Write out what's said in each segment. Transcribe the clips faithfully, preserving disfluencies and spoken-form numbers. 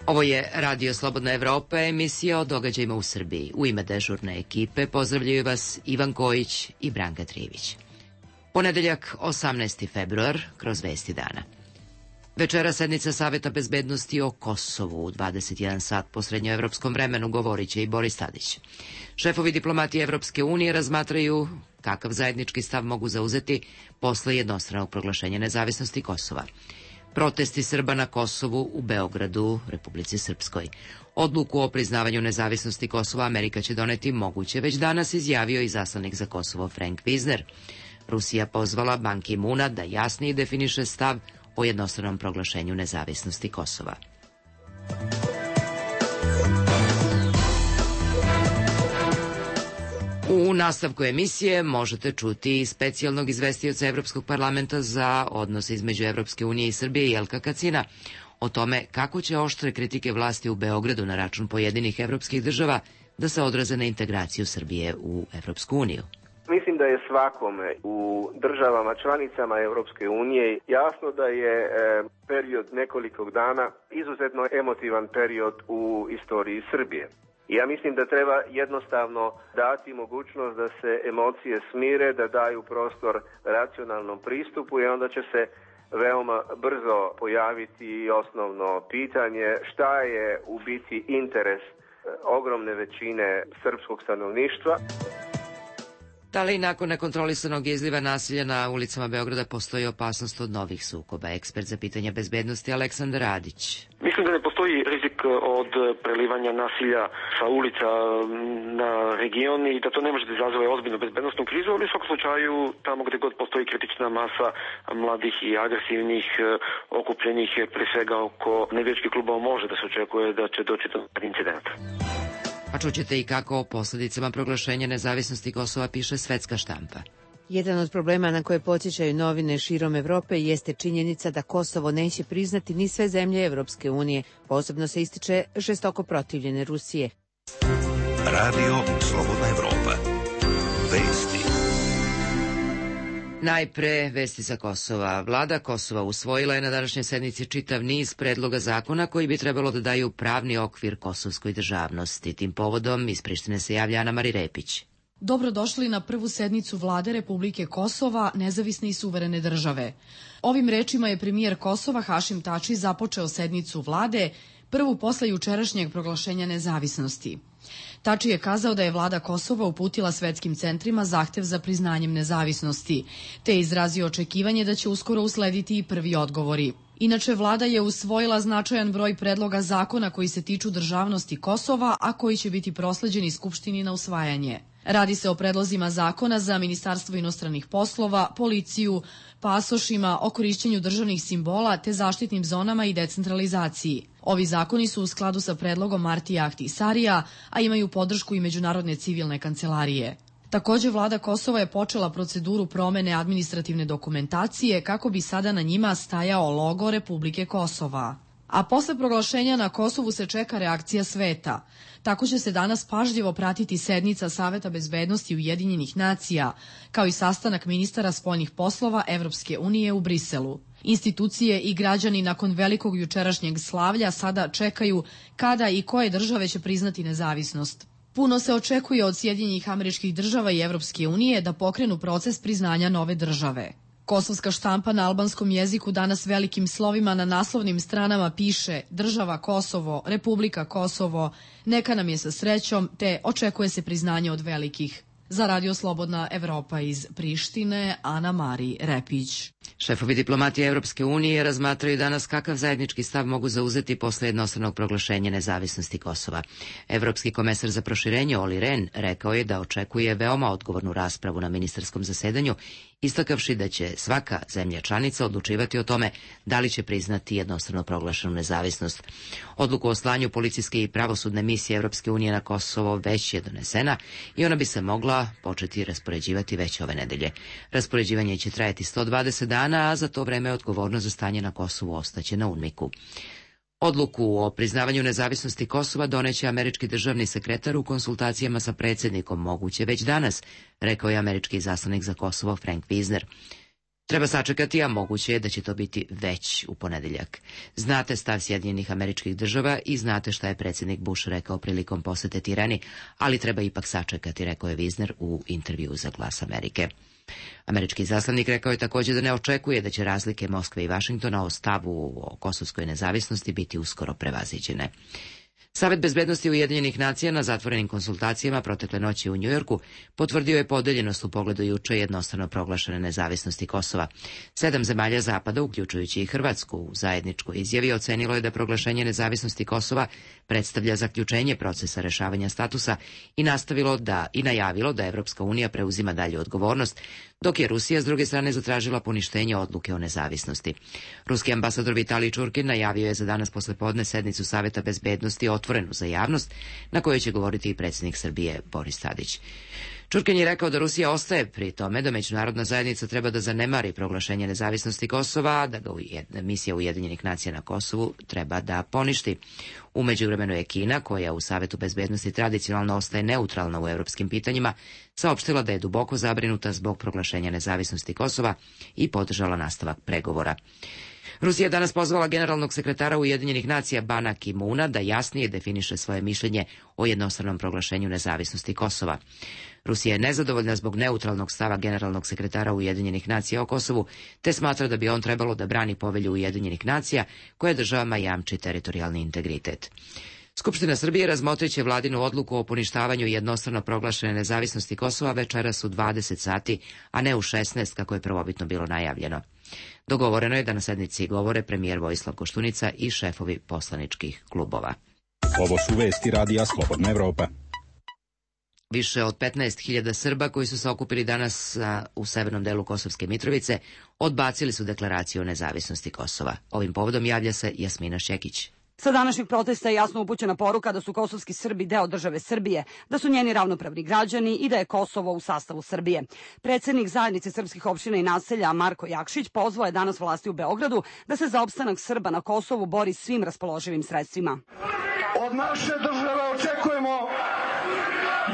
Ovo je Radio Slobodna Evropa, emisija o događajima u Srbiji. U ime dežurne ekipe pozdravljaju vas Ivan Kojić i Branka Trivić. Ponedeljak, osamnaesti februar, kroz vesti dana. Večera sednica Saveta bezbednosti o Kosovu u dvadeset jedan sat po srednjoevropskom vremenu govorit će i Boris Tadić. Šefovi diplomatije Evropske unije razmatraju kakav zajednički stav mogu zauzeti posle jednostranog proglašenja nezavisnosti Kosova. Protesti Srba na Kosovu u Beogradu, Republici Srpskoj. Odluku o priznavanju nezavisnosti Kosova Amerika će doneti moguće već danas, izjavio i zaslanik za Kosovo Frank Visner. Rusija pozvala Ban Ki-moona da jasnije definiše stav o jednostranom proglašenju nezavisnosti Kosova. U nastavku emisije možete čuti specijalnog izvestioca Evropskog parlamenta za odnose između Evropske unije i Srbije Jelka Kacina o tome kako će oštre kritike vlasti u Beogradu na račun pojedinih evropskih država da se odraze na integraciju Srbije u Evropsku uniju. Mislim da je svakome u državama članicama Evropske unije jasno da je e, period nekoliko dana izuzetno emotivan period u istoriji Srbije. Ja mislim da treba jednostavno dati mogućnost da se emocije smire, da daju prostor racionalnom pristupu i onda će se veoma brzo pojaviti osnovno pitanje šta je u biti interes ogromne većine srpskog stanovništva. Da li nakon nekontrolisanog izliva nasilja na ulicama Beograda postoji opasnost od novih sukoba? Ekspert za pitanja bezbednosti Aleksandar Radić. Mislim da ne postoji rizik od prelivanja nasilja sa ulica na region i da to ne može da izazove ozbiljnu bezbednostnu krizu, ali u svakom slučaju tamo gde god postoji kritična masa mladih i agresivnih, okupljenih pre svega oko navijačkih klubova, može da se očekuje da će doći do incidenta. A čućete i kako o posljedicama proglašenja nezavisnosti Kosova piše svetska štampa. Jedan od problema na koje podsjećaju novine širom Evrope jeste činjenica da Kosovo neće priznati ni sve zemlje Evropske unije. Posebno se ističe žestoko protivljene Rusije. Radio Slobodna Evropa. Vesti. Najpre vesti sa Kosova. Vlada Kosova usvojila je na današnjoj sednici čitav niz predloga zakona koji bi trebalo da daju pravni okvir kosovskoj državnosti. Tim povodom iz Prištine se javlja Ana Mari Repić. Dobrodošli na prvu sednicu Vlade Republike Kosova, nezavisne i suverene države. Ovim rečima je premijer Kosova Hašim Tači započeo sednicu Vlade, prvu posle jučerašnjeg proglašenja nezavisnosti. Tači je kazao da je vlada Kosova uputila svetskim centrima zahtev za priznanjem nezavisnosti, te je izrazio očekivanje da će uskoro uslediti i prvi odgovori. Inače, vlada je usvojila značajan broj predloga zakona koji se tiču državnosti Kosova, a koji će biti prosleđeni Skupštini na usvajanje. Radi se o predlozima zakona za Ministarstvo inostranih poslova, policiju, pasošima, o korišćenju državnih simbola te zaštitnim zonama i decentralizaciji. Ovi zakoni su u skladu sa predlogom Martija Ahtisarija, a imaju podršku i Međunarodne civilne kancelarije. Takođe, vlada Kosova je počela proceduru promene administrativne dokumentacije kako bi sada na njima stajao logo Republike Kosova. A posle proglašenja na Kosovu se čeka reakcija sveta. Tako će se danas pažljivo pratiti sednica Saveta bezbednosti Ujedinjenih nacija, kao i sastanak ministara spoljnih poslova Evropske unije u Briselu. Institucije i građani nakon velikog jučerašnjeg slavlja sada čekaju kada i koje države će priznati nezavisnost. Puno se očekuje od Sjedinjenih Američkih Država i Evropske unije da pokrenu proces priznanja nove države. Kosovska štampa na albanskom jeziku danas velikim slovima na naslovnim stranama piše Država Kosovo, Republika Kosovo, neka nam je sa srećom, te očekuje se priznanje od velikih. Za Radio Slobodna Evropa iz Prištine, Ana Mari Repić. Šefovi diplomatije Evropske unije razmatraju danas kakav zajednički stav mogu zauzeti posle jednostranog proglašenja nezavisnosti Kosova. Evropski komesar za proširenje Olli Rehn rekao je da očekuje veoma odgovornu raspravu na ministarskom zasedanju, istakavši da će svaka zemlja članica odlučivati o tome da li će priznati jednostrano proglašenu nezavisnost. Odluku o slanju policijske i pravosudne misije Evropske unije na Kosovo već je donesena i ona bi se mogla početi raspoređivati već ove nedelje. Raspoređivanje će trajati sto dvadeset dana, a za to vreme odgovornost za stanje na Kosovu ostaće na UNMIK-u. Odluku o priznavanju nezavisnosti Kosova doneće američki državni sekretar u konsultacijama sa predsjednikom, moguće već danas, rekao je američki izaslanik za Kosovo Frank Visner. Treba sačekati, a moguće je da će to biti već u ponedeljak. Znate stav Sjedinjenih Američkih Država i znate šta je predsjednik Bush rekao prilikom posete Tirani, ali treba ipak sačekati, rekao je Wisner u intervjuu za Glas Amerike. Američki izaslanik rekao je također da ne očekuje da će razlike Moskve i Vašingtona o stavu o kosovskoj nezavisnosti biti uskoro prevaziđene. Savet bezbednosti Ujedinjenih nacija na zatvorenim konsultacijama protekle noći u Njujorku potvrdio je podeljenost u pogledu juče jednostrano proglašene nezavisnosti Kosova. Sedam zemalja Zapada, uključujući i Hrvatsku, u zajedničkoj izjavi ocenilo je da proglašenje nezavisnosti Kosova predstavlja zaključenje procesa rešavanja statusa i nastavilo da i najavilo da Evropska unija preuzima dalju odgovornost, dok je Rusija s druge strane zatražila poništenje odluke o nezavisnosti. Ruski ambasador Vitalij Čurkin najavio je za danas poslepodne sednicu Saveta bezbednosti otvorenu za javnost, na kojoj će govoriti i predsjednik Srbije Boris Tadić. Čurkin je rekao da Rusija ostaje pri tome da međunarodna zajednica treba da zanemari proglašenje nezavisnosti Kosova, da ga misija Ujedinjenih nacija na Kosovu treba da poništi. U međuvremenu je Kina, koja u Savetu bezbednosti tradicionalno ostaje neutralna u europskim pitanjima, saopštila da je duboko zabrinuta zbog proglašenja nezavisnosti Kosova i podržala nastavak pregovora. Rusija je danas pozvala generalnog sekretara Ujedinjenih nacija Bana Ki-moona da jasnije definiše svoje mišljenje o jednostranom proglašenju nezavisnosti Kosova. Rusija je nezadovoljna zbog neutralnog stava generalnog sekretara Ujedinjenih nacija o Kosovu, te smatra da bi on trebalo da brani povelju Ujedinjenih nacija koja državama jamči teritorijalni integritet. Skupština Srbije razmotriće vladinu odluku o poništavanju jednostrano proglašene nezavisnosti Kosova večeras u dvadeset sati, a ne u šesnaest kako je prvobitno bilo najavljeno. Dogovoreno je da na sednici govore premijer Vojislav Koštunica i šefovi poslaničkih klubova. Ovo su vesti Radija Slobodna Evropa. Više od petnaest hiljada Srba koji su se okupili danas u severnom delu Kosovske Mitrovice odbacili su deklaraciju o nezavisnosti Kosova. Ovim povodom javlja se Jasmina Šekić. Sa današnjeg protesta je jasno upućena poruka da su kosovski Srbi deo države Srbije, da su njeni ravnopravni građani i da je Kosovo u sastavu Srbije. Predsjednik zajednice srpskih opština i naselja Marko Jakšić pozvao je danas vlasti u Beogradu da se za opstanak Srba na Kosovu bori svim raspoloživim sredstvima. Od naše države očekujemo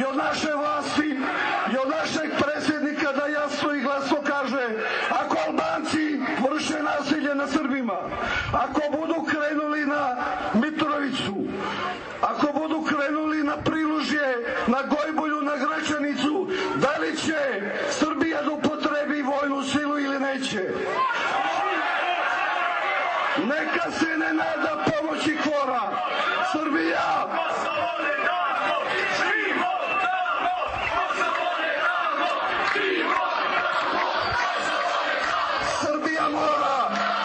i od naše vlasti i od našeg predsjednika da jasno i glasno kaže: ako Albanci vrše nasilje na Srbima, ako budu krenuli na Mitrovicu, ako budu krenuli na Prilužje, na Gojbulju, na Gračanicu, da li će Srbija da upotrebi vojnu silu ili neće? Neka se ne nada pomoći Kvora. Srbija! Srbija mora,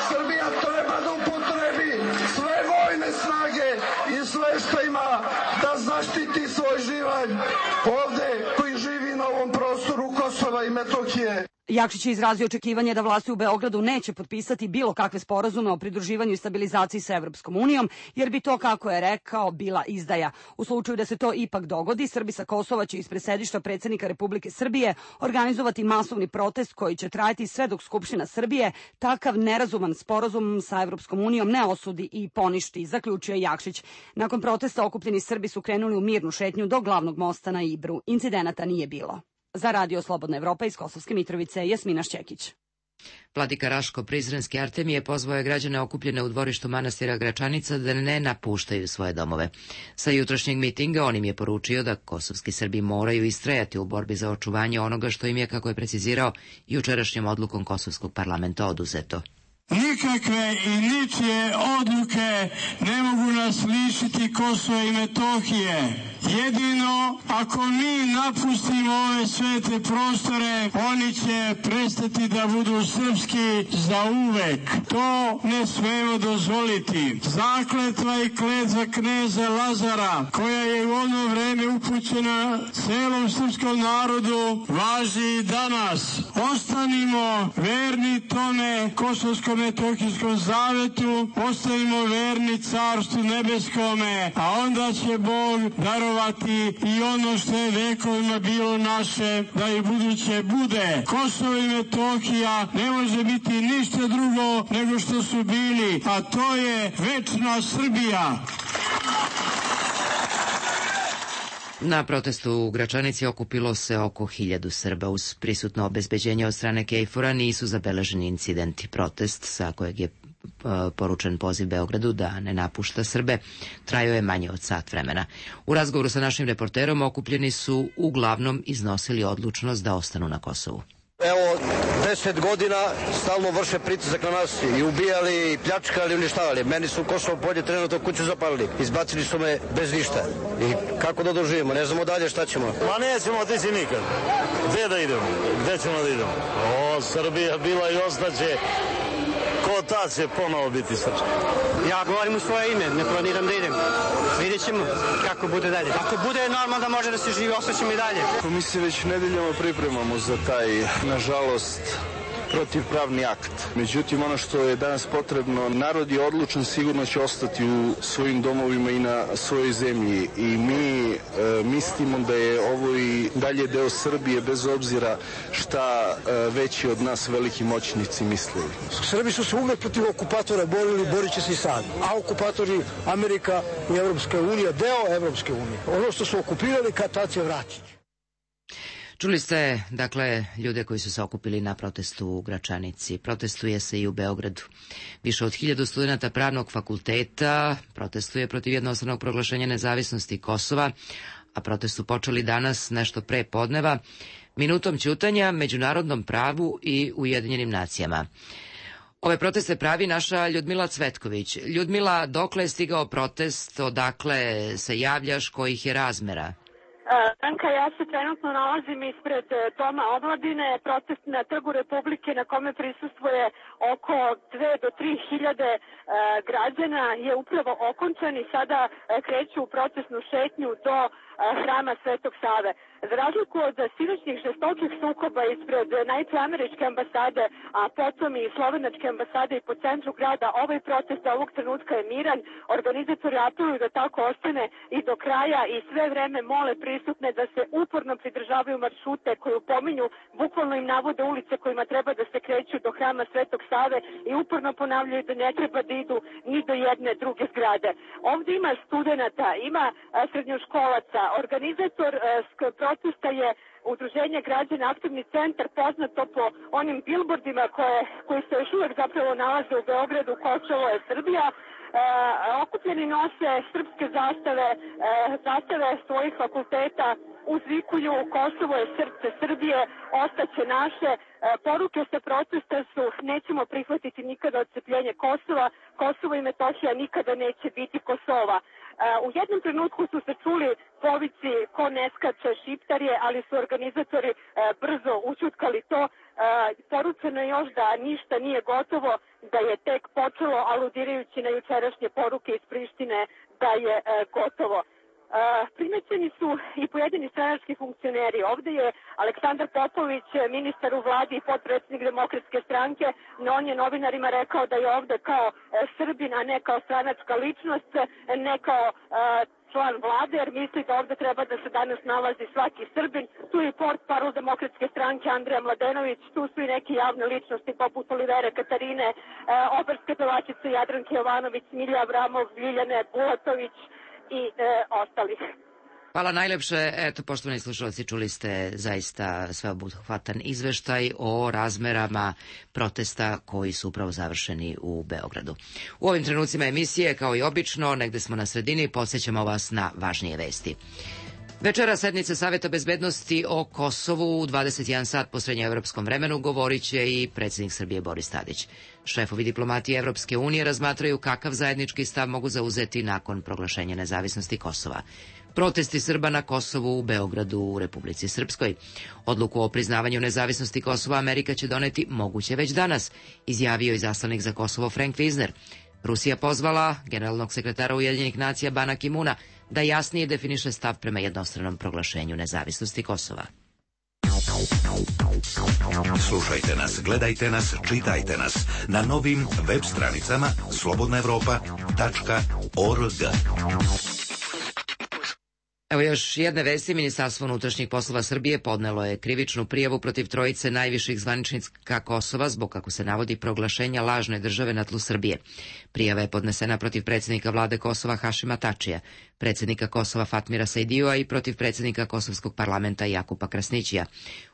Srbija treba da upotrebi sve vojne snage i sve što ima da zaštiti svoj živalj ovde koji živi na ovom prostoru Kosova i Metohije. Jakšić je izrazio očekivanje da vlasti u Beogradu neće potpisati bilo kakve sporazume o pridruživanju i stabilizaciji sa Evropskom unijom, jer bi to, kako je rekao, bila izdaja. U slučaju da se to ipak dogodi, Srbi sa Kosova će ispred sedišta predsjednika Republike Srbije organizovati masovni protest koji će trajati sve dok Skupština Srbije takav nerazuman sporazum sa Evropskom unijom ne osudi i poništi, zaključio je Jakšić. Nakon protesta okupljeni Srbi su krenuli u mirnu šetnju do glavnog mosta na Ibru. Incidenata nije bilo. Za Radio Slobodna Evropa iz Kosovske Mitrovice, Jasmina Šćekić. Vladika Raško Prizrenski Artemije pozvao je građane okupljene u dvorištu manastira Gračanica da ne napuštaju svoje domove. Sa jutrošnjeg mitinga on im je poručio da kosovski Srbi moraju istrajati u borbi za očuvanje onoga što im je, kako je precizirao, jučerašnjom odlukom Kosovskog parlamenta oduzeto. Nikakve i ničije odluke ne mogu nas lišiti Kosova i Metohije. Jedino ako mi napustimo ove svete prostore, oni će prestati da budu srpski za uvek. To ne smemo dozvoliti. Zakletva i kletva kneza Lazara, koja je u ono vreme upućena celom srpskom narodu, važi i danas. Ostanimo verni tome Kosovskom Metohijskom zavetu, ostanimo verni Carstvu nebeskome, a onda će Bog darovati i ono što je vekovima bilo naše, da i buduće bude. Kosovo i Metohija ne može biti ništa drugo nego što su bili, a to je večna Srbija. Na protestu u Gračanici okupilo se oko hiljadu Srba. Uz prisutno obezbeđenje od strane Kejfora nisu zabeleženi incidenti. Protest, sa kojeg je poručen poziv Beogradu da ne napušta Srbe, trajao je manje od sat vremena. U razgovoru sa našim reporterom okupljeni su uglavnom iznosili odlučnost da ostanu na Kosovu. Evo, deset godina stalno vrše pritisak na nas i ubijali, i pljačkali, i uništavali. Meni su Kosovo polje trenutno kuću zapalili. Izbacili su me bez ništa. I kako da doživimo? Ne znamo dalje šta ćemo. Ma nećemo otići nikad. Gde da idemo? Gde ćemo da idemo? O, Srbija bila i ostaće. Ko ta će ponovo biti srpska? Ja govorim u svoje ime, ne planiram da idem. Vidjet ćemo kako bude dalje. Ako bude normalno da može da se živi, ostaćemo i dalje. Mi se već nedeljama pripremamo za taj, nažalost, protivpravni akt. Međutim, ono što je danas potrebno, narod je odlučan, sigurno će ostati u svojim domovima i na svojoj zemlji. I mi e, mislimo da je ovo i dalje deo Srbije, bez obzira šta e, veći od nas veliki moćnici mislili. Srbi su se uvek protiv okupatora borili, borit će se i sad. A okupatori Amerika i Evropska unija, deo Evropske unije. Ono što su okupirali, kad tad će vratiti. Čuli ste, dakle, ljude koji su se okupili na protestu u Gračanici. Protestuje se i u Beogradu. Više od hiljadu studenta pravnog fakulteta protestuje protiv jednostavnog proglašenja nezavisnosti Kosova, a protest su počeli danas nešto pre podneva, minutom ćutanja, međunarodnom pravu i Ujedinjenim nacijama. Ove proteste pravi naša Ljudmila Cvetković. Ljudmila, dokle je stigao protest, odakle se javljaš, kojih je razmera? Anka, ja se trenutno nalazim ispred Doma omladine, protest na Trgu Republike na kome prisustvuje oko dve do tri hiljade građana je upravo okončan i sada kreću u protestnu šetnju do Hrama Svetog Save. Za razliku od sinoćnih žestokih sukoba ispred najpre američke ambasade, a potom i slovenačke ambasade i po centru grada, ovaj protest ovog trenutka je miran. Organizatori apeluju da tako ostane i do kraja i sve vreme mole prisutne da se uporno pridržavaju maršrute koju pominju, bukvalno im navode ulice kojima treba da se kreću do Hrama Svetog Save i uporno ponavljaju da ne treba da idu ni do jedne druge zgrade. Ovde ima studenata, ima srednjoškolaca. Organizator protesta je Udruženje građana Aktivni centar, poznato po onim bilbordima koje, koji se još uvek zapravo nalaze u Beogradu, Kosovo je Srbija. E, okupljeni nose srpske zastave, e, zastave svojih fakulteta, uzvikuju Kosovo je srce Srbije, ostaće naše. E, poruke sa protesta su nećemo prihvatiti nikada odcepljenje Kosova, Kosovo i Metohija nikada neće biti Kosova. U jednom trenutku su se čuli povici ko ne skače Šiptar je, ali su organizatori brzo ućutkali to. Poručeno je još da ništa nije gotovo, da je tek počelo, aludirajući na jučerašnje poruke iz Prištine da je gotovo. Primećeni su i pojedini stranački funkcioneri. Ovde je Aleksandar Popović, ministar u vladi i potpredsjednik Demokratske stranke, no on je novinarima rekao da je ovde kao Srbin, a ne kao stranačka ličnost, ne kao član vlade, jer misli da ovde treba da se danas nalazi svaki Srbin. Tu je port parol Demokratske stranke Andreja Mladenović, tu su i neke javne ličnosti poput Olivere Katarine, operske pevačice Jadranke Jovanović, Milja Avramov, Ljiljane Bulatović i e, ostalih. Hvala najlepše. Eto, poštovani slušalci, čuli ste zaista sveobuhvatan izveštaj o razmerama protesta koji su upravo završeni u Beogradu. U ovim trenucima emisije, kao i obično, negde smo na sredini, podsjećamo vas na važnije vesti. Večera sednice Saveta bezbednosti o Kosovu u dvadeset jedan sat po srednjoevropskom vremenu govorit će i predsjednik Srbije Boris Tadić. Šefovi diplomatije Evropske unije razmatraju kakav zajednički stav mogu zauzeti nakon proglašenja nezavisnosti Kosova. Protesti Srba na Kosovu u Beogradu u Republici Srpskoj. Odluku o priznavanju nezavisnosti Kosova Amerika će doneti moguće već danas, izjavio izaslanik za Kosovo Frank Wisner. Rusija pozvala generalnog sekretara Ujedinjenih nacija Bana Ki-muna da jasnije definiše stav prema jednostranom proglašenju nezavisnosti Kosova. Slušajte nas, gledajte nas, čitajte nas na novim web stranicama slobodna evropa tačka org. Evo još jedne vesti. Ministarstvo unutrašnjih poslova Srbije podnelo je krivičnu prijavu protiv trojice najviših zvaničnika Kosova zbog, kako se navodi, proglašenja lažne države na tlu Srbije. Prijava je podnesena protiv predsjednika vlade Kosova Hašima Tačija, predsjednika Kosova Fatmira Sajdijua i protiv predsjednika Kosovskog parlamenta Jakupa Krasnićija.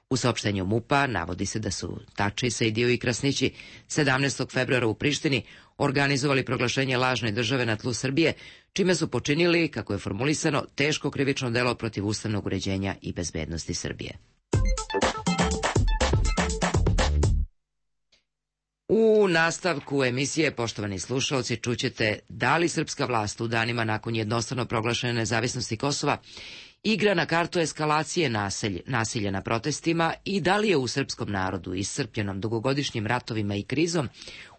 U saopštenju MUP-a navodi se da su Tači, Sajdiju i Krasnići sedamnaestog februara u Prištini organizovali proglašenje lažne države na tlu Srbije, čime su počinili, kako je formulisano, teško krivično delo protiv ustavnog uređenja i bezbednosti Srbije. U nastavku emisije, poštovani slušalci, čućete da li srpska vlast u danima nakon jednostrano proglašene nezavisnosti Kosova igra na kartu eskalacije nasilja, nasilja na protestima i da li je u srpskom narodu iscrpljenom dugogodišnjim ratovima i krizom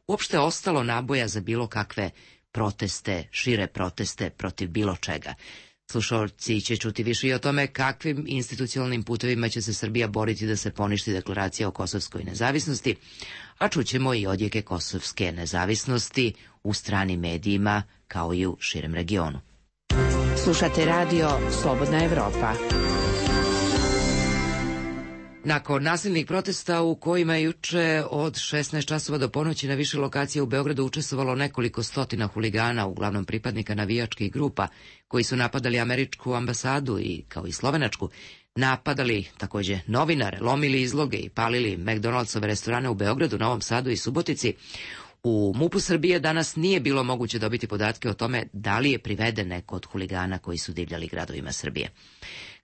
uopšte ostalo naboja za bilo kakve proteste, šire proteste protiv bilo čega. Slušalci će čuti više i o tome kakvim institucionalnim putevima će se Srbija boriti da se poništi deklaracija o kosovskoj nezavisnosti, a čućemo i odjeke kosovske nezavisnosti u stranim medijima kao i u širem regionu. Slušate radio Slobodna Evropa. Nakon nasilnih protesta u kojima je juče od šesnaest časova do ponoći na više lokacija u Beogradu učestvovalo nekoliko stotina huligana, uglavnom pripadnika navijačkih grupa, koji su napadali američku ambasadu i, kao i slovenačku, napadali takođe novinare, lomili izloge i palili McDonaldsove restorane u Beogradu, Novom Sadu i Subotici, u MUP-u Srbije danas nije bilo moguće dobiti podatke o tome da li je priveden neko od huligana koji su divljali gradovima Srbije.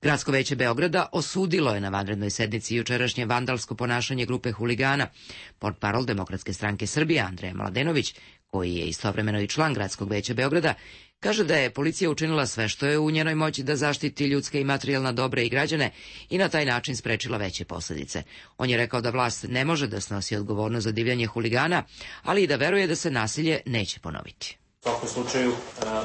Gradsko veće Beograda osudilo je na vanrednoj sednici jučerašnje vandalsko ponašanje grupe huligana. Portparol Demokratske stranke Srbije Andreja Mladenović, koji je istovremeno i član Gradskog veća Beograda, kaže da je policija učinila sve što je u njenoj moći da zaštiti ljudska i materijalna dobra i građane i na taj način sprečila veće posljedice. On je rekao da vlast ne može da snosi odgovornost za divljanje huligana, ali i da veruje da se nasilje neće ponoviti. U svakom slučaju,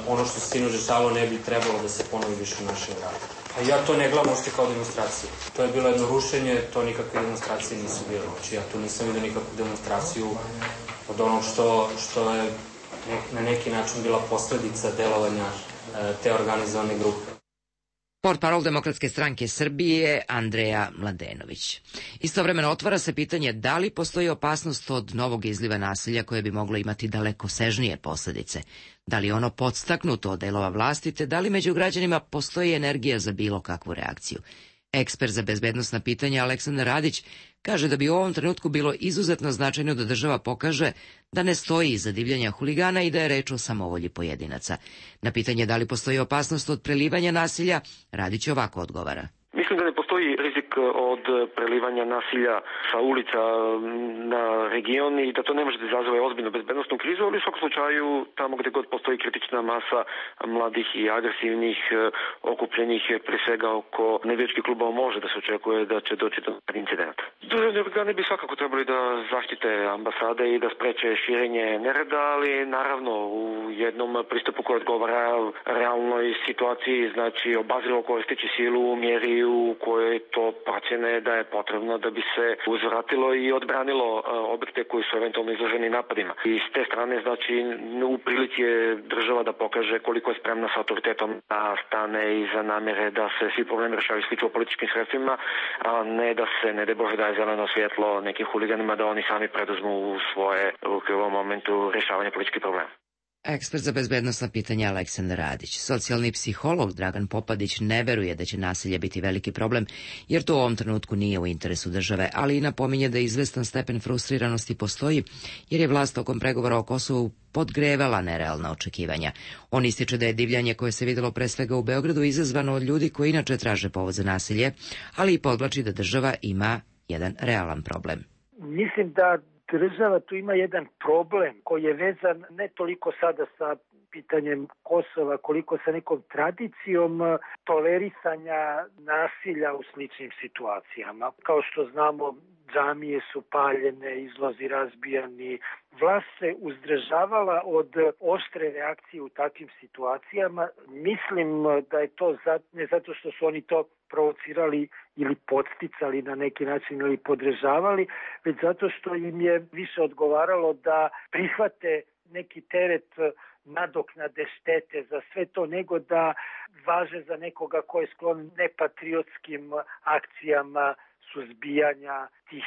ono što se sinoć dešavalo ne bi trebalo da se ponovi više u našem gradu. A ja to ne gledam uopšte kao demonstraciju. To je bilo jedno rušenje, to nikakve demonstracije nisu bile. Znači, ja tu nisam vidio nikakvu demonstraciju od onog što, što je na neki način bila posledica delovanja te organizovane grupe. Portparol Demokratske stranke Srbije Andreja Mladenović. Istovremeno otvara se pitanje da li postoji opasnost od novog izliva nasilja koje bi moglo imati dalekosežnije posljedice. Da li je ono podstaknuto od delova vlasti, te da li među građanima postoji energija za bilo kakvu reakciju. Ekspert za bezbednosna pitanja Aleksandar Radić kaže da bi u ovom trenutku bilo izuzetno značajno da država pokaže da ne stoji iza divljanja huligana i da je reč o samovolji pojedinaca. Na pitanje da li postoji opasnost od prelivanja nasilja, Radić ovako odgovara. Mislim da ne postoji rizik od prelivanja nasilja sa ulica na region i da to ne može da izazove ozbiljnu bezbednostnu krizu, ali u svakom slučaju tamo gde god postoji kritična masa mladih i agresivnih okupljenih pre svega oko navijačkih klubova može da se očekuje da će doći do incidenta. Državni organi bi svakako trebali da zaštite ambasade i da spreče širenje nereda, ali naravno u jednom pristupu koji odgovara realnoj situaciji, znači obazrilo koristeći silu u mjeri u kojoj to procjene da je potrebno da bi se uzvratilo i odbranilo objekte koji su eventualno izloženi napadima. I s te strane, znači, u prilici je država da pokaže koliko je spremna sa autoritetom da stane iza namere da se svi problemi rešavaju isključivo političkim sredstvima, a ne da se, ne de Bože, daje zeleno svjetlo nekim huliganima da oni sami preduzmu u svoje ruke u ovom momentu rešavanja političkih problema. Ekspert za bezbednosna pitanja Aleksandar Radić. Socijalni psiholog Dragan Popadić ne veruje da će nasilje biti veliki problem, jer to u ovom trenutku nije u interesu države, ali i napominje da izvestan stepen frustriranosti postoji, jer je vlast tokom pregovora o Kosovu podgrevala nerealna očekivanja. On ističe da je divljanje koje se videlo pre svega u Beogradu izazvano od ljudi koji inače traže povod za nasilje, ali i podvlači da država ima jedan realan problem. Mislim da država tu ima jedan problem koji je vezan ne toliko sada sa pitanjem Kosova, koliko sa nekom tradicijom tolerisanja nasilja u sličnim situacijama. Kao što znamo, džamije su paljene, izlozi razbijani. Vlast se uzdržavala od oštre reakcije u takvim situacijama. Mislim da je to ne zato što su oni to provocirali ili podsticali na neki način ili podržavali, već zato što im je više odgovaralo da prihvate neki teret nadoknade štete za sve to, nego da važe za nekoga ko je sklon nepatriotskim akcijama suzbijanja tih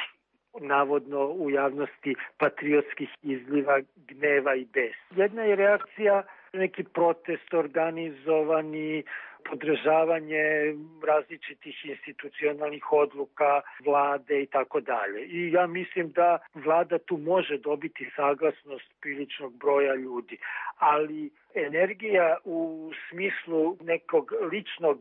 navodno u javnosti patriotskih izliva gneva i bes. Jedna je reakcija neki protest organizovani, podržavanje različitih institucionalnih odluka, vlade i tako dalje. I ja mislim da vlada tu može dobiti saglasnost priličnog broja ljudi, ali energija u smislu nekog ličnog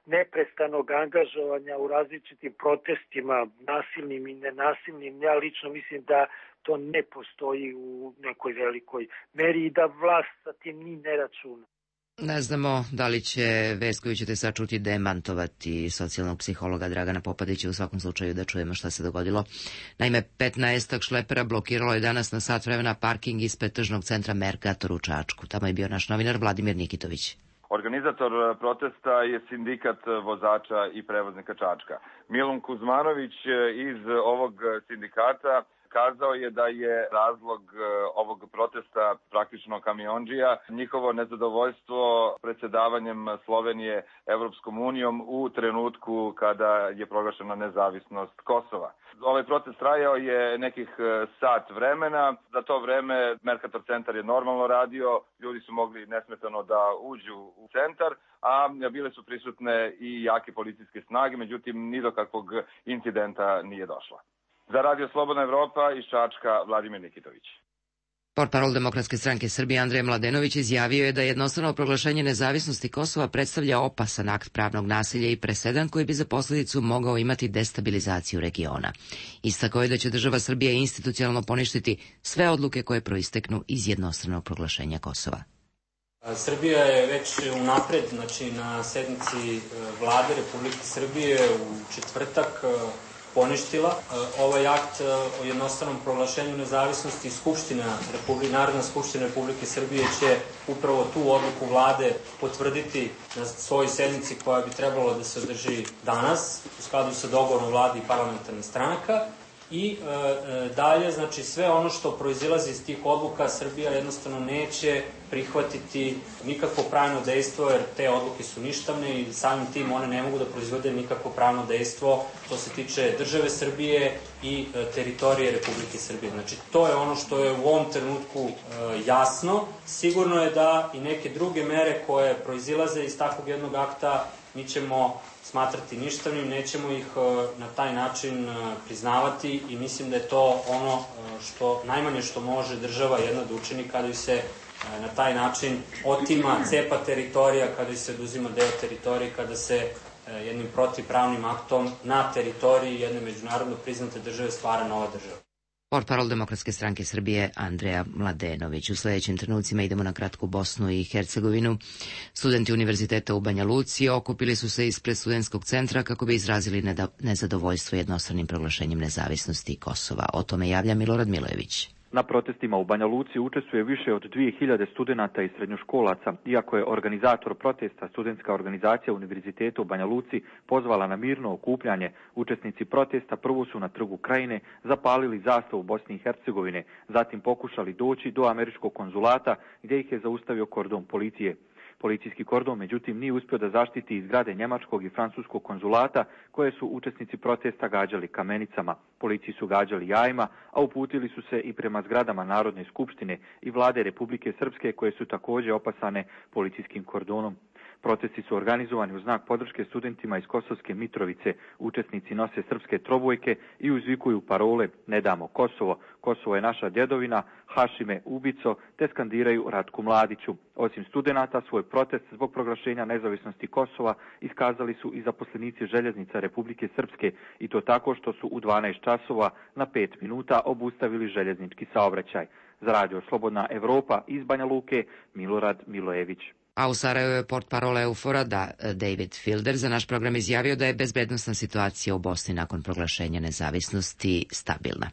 neprestanog angažovanja u različitim protestima, nasilnim i nenasilnim, ja lično mislim da to ne postoji u nekoj velikoj meri i da vlast sa tim ni ne računa. Ne znamo da li će vest koju ćete sad čuti demantovati socijalnog psihologa Dragana Popadića, u svakom slučaju da čujemo šta se dogodilo. Naime, petnaestak šlepera blokiralo je danas na sat vremena parking ispred tržnog centra Mercator u Čačku. Tamo je bio naš novinar Vladimir Nikitović. Organizator protesta je sindikat vozača i prevoznika Čačka. Milun Kuzmanović iz ovog sindikata kazao je da je razlog ovog protesta praktično kamiondžija njihovo nezadovoljstvo predsjedavanjem Slovenije Evropskom unijom u trenutku kada je proglašena nezavisnost Kosova. Ovaj protest trajao je nekih sat vremena. Za to vreme Mercator centar je normalno radio, ljudi su mogli nesmetano da uđu u centar, a bile su prisutne i jake policijske snage, međutim ni do kakvog incidenta nije došlo. Za Radio Slobodna Evropa iz Čačka, Vladimir Nikitović. Portparol Demokratske stranke Srbije Andrej Mladenović izjavio je da jednostrano proglašenje nezavisnosti Kosova predstavlja opasan akt pravnog nasilja i presedan koji bi za posljedicu mogao imati destabilizaciju regiona. Istakao je da će država Srbija institucionalno poništiti sve odluke koje proisteknu iz jednostranog proglašenja Kosova. Srbija je već unapred, znači na sednici Vlade Republike Srbije u četvrtak poništila ovaj akt o jednostranom proglašenju nezavisnosti. Skupština Republike, Narodna skupština Republike Srbije će upravo tu odluku vlade potvrditi na svojoj sednici koja bi trebalo da se održi danas u skladu sa dogovorom vlade i parlamentarnih stranaka. I e, dalje, znači sve ono što proizilazi iz tih odluka Srbija jednostavno neće prihvatiti nikakvo pravno dejstvo, jer te odluke su ništavne i samim tim one ne mogu da proizvode nikakvo pravno dejstvo što se tiče države Srbije i e, teritorije Republike Srbije. Znači to je ono što je u ovom trenutku e, jasno. Sigurno je da i neke druge mere koje proizilaze iz takvog jednog akta mi ćemo smatrati ništavnim, nećemo ih na taj način priznavati i mislim da je to ono što najmanje što može država jedna da učini kada ju se na taj način otima, cepa teritorija, kada ju se oduzima deo teritorije, kada se jednim protivpravnim aktom na teritoriji jedne međunarodno priznate države stvara nova država. Portparol Demokratske stranke Srbije Andreja Mladenović. U sledećim trenucima idemo na kratku Bosnu i Hercegovinu. Studenti Univerziteta u Banja Luci okupili su se ispred studentskog centra kako bi izrazili nezadovoljstvo jednostranim proglašenjem nezavisnosti Kosova. O tome javlja Milorad Milojević. Na protestima u Banja Luci učestvuje više od dvije hiljade studenata i srednjoškolaca, iako je organizator protesta, studentska organizacija Univerziteta u Banja Luci, pozvala na mirno okupljanje. Učesnici protesta prvo su na Trgu Krajine zapalili zastavu Bosne i Hercegovine, zatim pokušali doći do američkog konzulata gdje ih je zaustavio kordon policije. Policijski kordon, međutim, nije uspio da zaštiti iz zgrade njemačkog i francuskog konzulata koje su učesnici protesta gađali kamenicama. Policiji su gađali jajima, a uputili su se i prema zgradama Narodne skupštine i vlade Republike Srpske koje su također opasane policijskim kordonom. Protesti su organizovani u znak podrške studentima iz Kosovske Mitrovice. Učesnici nose srpske trobojke i uzvikuju parole "Ne damo Kosovo", "Kosovo je naša djedovina", "Hašime ubico", te skandiraju Ratku Mladiću. Osim studenata, svoj protest zbog proglašenja nezavisnosti Kosova iskazali su i zaposlenici željeznica Republike Srpske, i to tako što su u dvanaest časova na pet minuta obustavili željeznički saobraćaj. Za Radio Slobodna Evropa iz Banja Luke, Milorad Milojević. A u Sarajevu je portparol Eufora da David Filder za naš program izjavio da je bezbednosna situacija u Bosni nakon proglašenja nezavisnosti stabilna.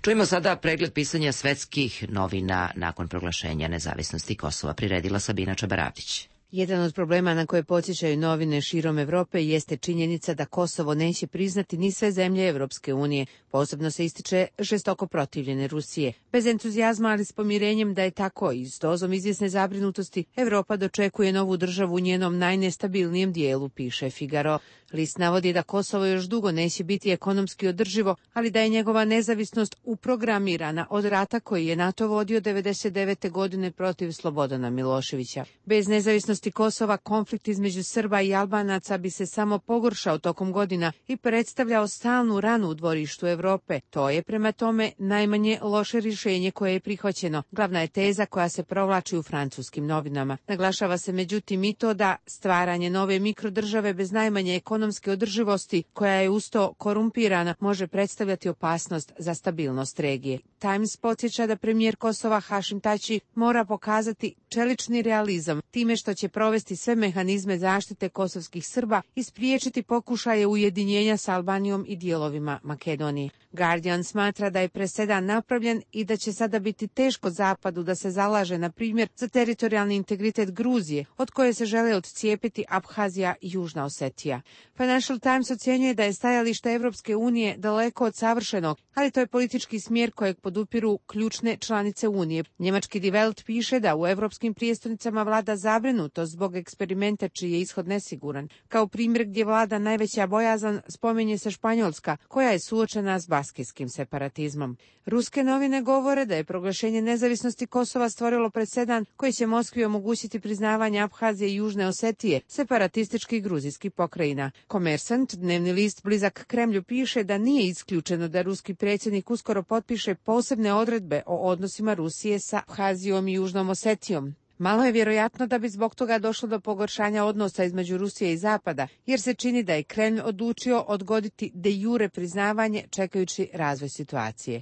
Čujemo sada pregled pisanja svetskih novina nakon proglašenja nezavisnosti Kosova. Priredila Sabina Čabaravdić. Jedan od problema na koje podsjećaju novine širom Evrope jeste činjenica da Kosovo neće priznati ni sve zemlje Evropske unije. Posebno se ističe žestoko protivljene Rusije. Bez entuzijazma, ali s pomirenjem da je tako i s dozom izvjesne zabrinutosti, Evropa dočekuje novu državu u njenom najnestabilnijem dijelu, piše Figaro. List navodi da Kosovo još dugo neće biti ekonomski održivo, ali da je njegova nezavisnost uprogramirana od rata koji je NATO vodio devedeset devete godine protiv Slobodana Miloševića. Bez nezavisnosti Kosova konflikt između Srba i Albanaca bi se samo pogoršao tokom godina i predstavljao stalnu ranu u dvorištu Evrope. To je prema tome najmanje loše rješenje koje je prihvaćeno. Glavna je teza koja se provlači u francuskim novinama. Naglašava se međutim i to da stvaranje nove mikrodržave bez najmanje ekonomske održivosti, koja je usto korumpirana, može predstavljati opasnost za stabilnost regije. Times podsjeća da premijer Kosova Hašim Tači mora pokazati čelični realizam time što će provesti sve mehanizme zaštite kosovskih Srba i spriječiti pokušaje ujedinjenja s Albanijom i dijelovima Makedonije. Guardian smatra da je presedan napravljen i da će sada biti teško Zapadu da se zalaže, na primjer, za teritorijalni integritet Gruzije, od koje se žele odcijepiti Abhazija i Južna Osetija. Financial Times ocjenjuje da je stajalište Evropske unije daleko od savršenog, ali to je politički smjer kojeg podupiru ključne članice Unije. Njemački Die Welt piše da u evropskim prijestolnicama vlada zabrinutost zbog eksperimenta čiji je ishod nesiguran. Kao primjer gdje vlada najveća bojazan spominje se Španjolska, koja je suočena s baskijskim separatizmom. Ruske novine govore da je proglašenje nezavisnosti Kosova stvorilo presedan koji će Moskvi omogućiti priznavanje Abhazije i Južne Osetije, separatističkih gruzijskih pokrajina. Komersant, dnevni list blizak Kremlju, piše da nije isključeno da ruski predsjednik uskoro potpiše posebne odredbe o odnosima Rusije sa Abhazijom i Južnom Osetijom. Malo je vjerojatno da bi zbog toga došlo do pogoršanja odnosa između Rusije i Zapada, jer se čini da je Kremlj odlučio odgoditi de jure priznavanje čekajući razvoj situacije.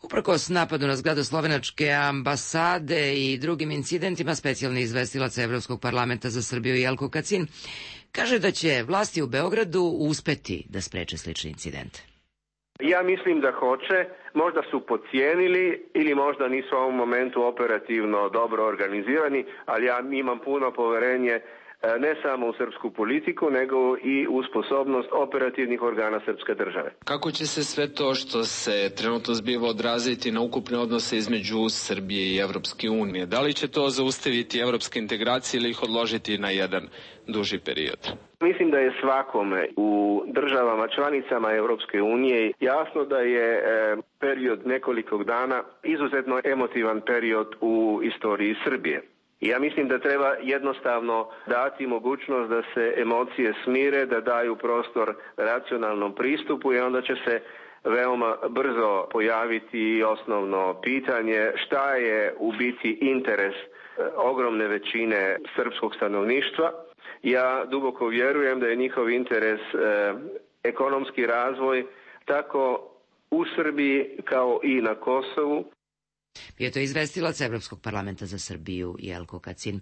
Uprkos napadu na zgradu slovenačke ambasade i drugim incidentima, specijalni izvestilac Evropskog parlamenta za Srbiju Jelko Kacin kaže da će vlasti u Beogradu uspeti da spreče slične incidente. Ja mislim da hoće, možda su podcijenili ili možda nisu u ovom momentu operativno dobro organizirani, ali ja imam puno poverenje ne samo u srpsku politiku, nego i u sposobnost operativnih organa srpske države. Kako će se sve to što se trenutno zbiva odraziti na ukupne odnose između Srbije i Evropske unije? Da li će to zaustaviti evropske integracije ili ih odložiti na jedan duži period? Mislim da je svakome u državama članicama Evropske unije jasno da je period nekoliko dana izuzetno emotivan period u istoriji Srbije. I ja mislim da treba jednostavno dati mogućnost da se emocije smire, da daju prostor racionalnom pristupu i onda će se veoma brzo pojaviti osnovno pitanje šta je u biti interes ogromne većine srpskog stanovništva. Ja duboko vjerujem da je njihov interes eh, ekonomski razvoj tako u Srbiji kao i na Kosovu. Bio je to izvestilac Evropskog parlamenta za Srbiju Jelko Kacin.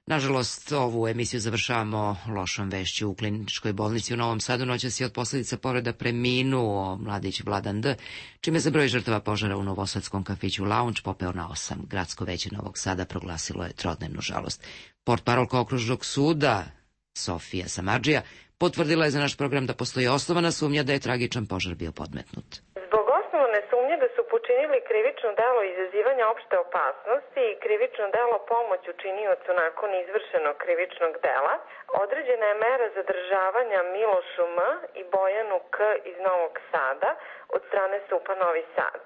Nažalost, ovu emisiju završavamo lošom vešću. U kliničkoj bolnici u Novom Sadu noćas je od posljedica povreda preminuo mladić Vladan D., čime se broj žrtava požara u novosadskom kafiću Lounge popeo na osam. Gradsko veće Novog Sada proglasilo je trodnevnu žalost. Portparolka okružnog suda Sofija Samardžija potvrdila je za naš program da postoji osnovana sumnja da je tragičan požar bio podmetnut. Zbog osnovne sumnje da su počinili krivično delo izazivanja opšte opasnosti i krivično delo pomoć učiniocu nakon izvršenog krivičnog dela, određena je mera zadržavanja Milošu M. i Bojanu K. iz Novog Sada od strane S U P-a Novi Sad.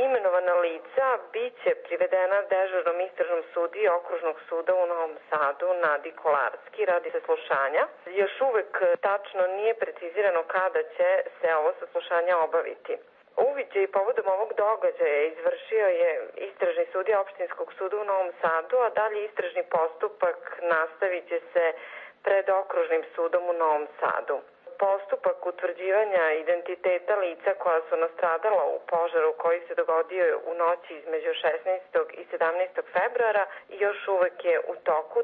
Imenovana lica biće privedena dežurnom istražnom sudiji Okružnog suda u Novom Sadu Nadi Kolarski radi saslušanja. Još uvek tačno nije precizirano kada će se ovo saslušanje obaviti. Uviđaj povodom ovog događaja izvršio je istražni sudija Opštinskog suda u Novom Sadu, a dalje istražni postupak nastavit će se pred Okružnim sudom u Novom Sadu. Postupak utvrđivanja identiteta lica koja su nastradala u požaru koji se dogodio u noći između šesnaestog i sedamnaestog februara još uvek je u toku.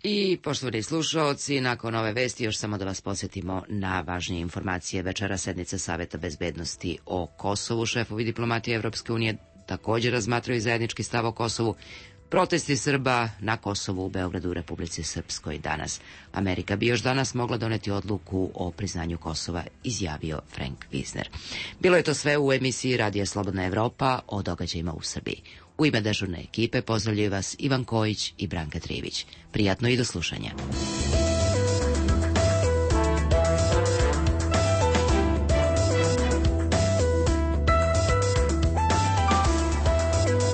I, poštovani slušaoci, nakon ove vesti još samo da vas podsjetimo na važnije informacije. Večera sednica Saveta bezbednosti o Kosovu. Šefovi diplomatije Evropske unije također razmatraju zajednički stav o Kosovu. Protesti Srba na Kosovu u Beogradu u Republici Srpskoj danas. Amerika bi još danas mogla doneti odluku o priznanju Kosova, izjavio Frank Wisner. Bilo je to sve u emisiji Radija Slobodna Evropa o događajima u Srbiji. U ime dežurne ekipe pozdravljaju vas Ivan Kojić i Branka Trivić. Prijatno i do slušanja.